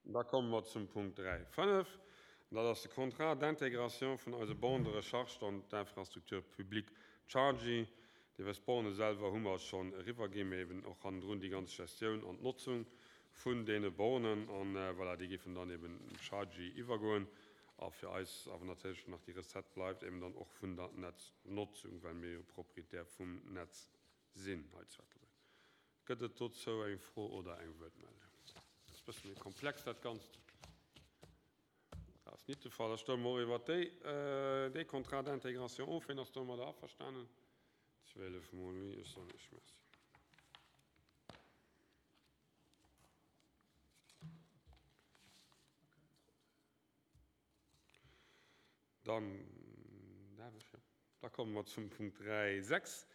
Da komme mer zum Punkt 3, 5. Dat ass de Contrat d'intégration vun eise Bornes de recharge an d'Infrastructure publique Chargy. Dir wësst, d'Borne selwer hu mer schonn eriwwerginn, mee eben och hannendrun déi ganz Gestioun an d'Notzung vun deene Bornen. An voilà, déi géifen dann eben Chargy iwwergoen. A fir eis awer natierlech nach déi Recette bleift eben dann och vun der Netznotzung, well mir jo Proprietär vum Netz sinn hei zu Ettelbréck. Gëtt et dozou eng Fro oder eng Wuertmeldung? Dat ass e bësse méi komplex, dat Ganzt. Dat ass nit de Fall. Da stëmme mer och iwwert déi, dee Contrat d'intégration of. Wien ass domadder averstanen? 12 mol oui, ech soen Iech Merci. Dann darf ech, jo. Da komme mer zum Punkt 3, 6,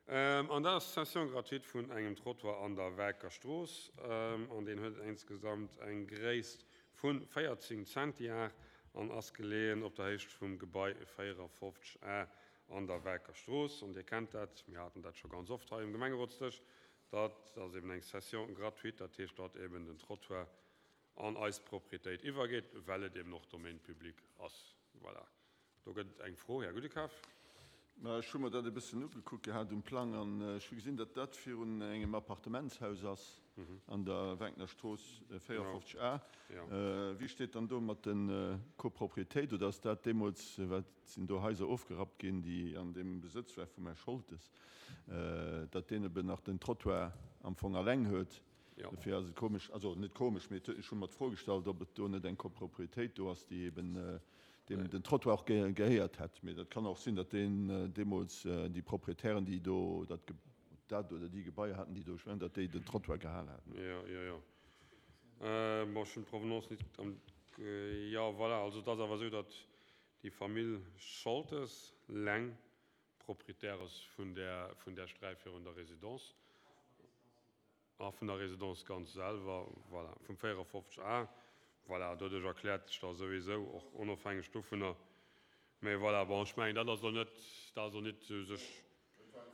an dat ass d'Cession gratuite vun engem Trottoir an der Werker Strooss. An deen huet insgesamt eng Gréisst vu 14 Zentiar an ass geleeën op der Héicht vum Gebai 54 A an der Werker Strooss. An Dir kennt dat, mir haten dat scho ganz oft hei um Gemengerotsdësch, dat ass eben eng Cession gratuite, dat heescht, datt eben den Trottoir an eis Proprietéit iwwergeet, well et eben och Domaine public ass. Voilà. Do gëtt et eng Fro, Här Gudekaf. Ma ech hu mer dat e bëssen ugekuckt gehat um Plang an ech hu gesinn, datt dat virun engem Appartementshaus ass an der Wenkner Strooss 54 A. Wéi steet dann do mat de Copropriétéit oder ass dat deemools, wat sinn do Haiser ofgerappt ginn, déi an deem Besëtz war vum Här Scholtes, datt deen eben nach den Trottoir am Fong alleng huet? Dofir ass et komesch, also net komesch, mee ech hu mer d'Fro gestallt, ob et do net eng Copropriétéit do ass, déi eben deem den Trottoir och gehéiert hätt. Mee dat kann och sinn, datt deen deemools déi Proprietären, déi do dat dat oder déi Gebaier haten, déi do stungen, datt déi den Trottoir gehal haten. Jo, jo, jo. Bon, ech hunn d'Provenance net am, jo, voilà. Also et ass awer esou, datt déi Famill Scholtes leng Proprietär ass vun där, vun där Sträif virun der Résidence. A vun der Résidence ganz selwer, voilà, vum 54 A, voilà, doduerch erkläert sech da souwisou, och onofhängeg dovunner. Mä voilà, bon, ech mengen, dat ass elo net, dat ass elo net u sech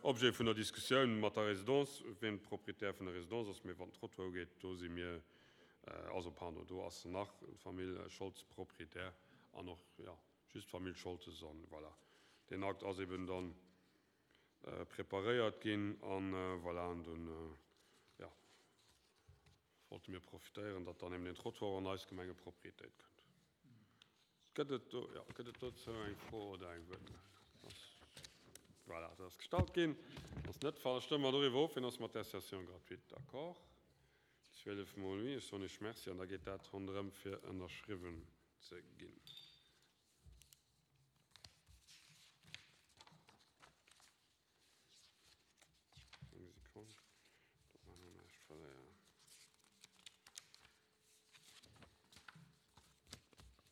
Objet vun der Diskussioun mat der Résidence, wien Proprietär vun der Résidence ass. Mä wat den Trottoir ugeet, do si mir, also pardon, do ass nach d'Famill Scholz Proprietär an och, jo, just d'Famill Scholtes an voilà, deen Akt ass eben dann preparéiert ginn an voilà, an dunn, jo, wollte mir profitéieren, datt dann eben deen Trottoir an eis Gemengeproprietéit kënnt. Gëtt et do, jo, gëtt et dozou eng Fro oder eng Wuertmeldung? Voilà, dat ass gestallt ginn. Ass net de Fall. Da stëmme mer doriwwer of. Wien ass mat där Cession gratuite d'accord? 12 mol oui. Ech soen Iech Merci an da geet dat ronderëm fir ënnerschriwwen ze ginn. Eng Sekonn, datt mer hei näischt verléieren.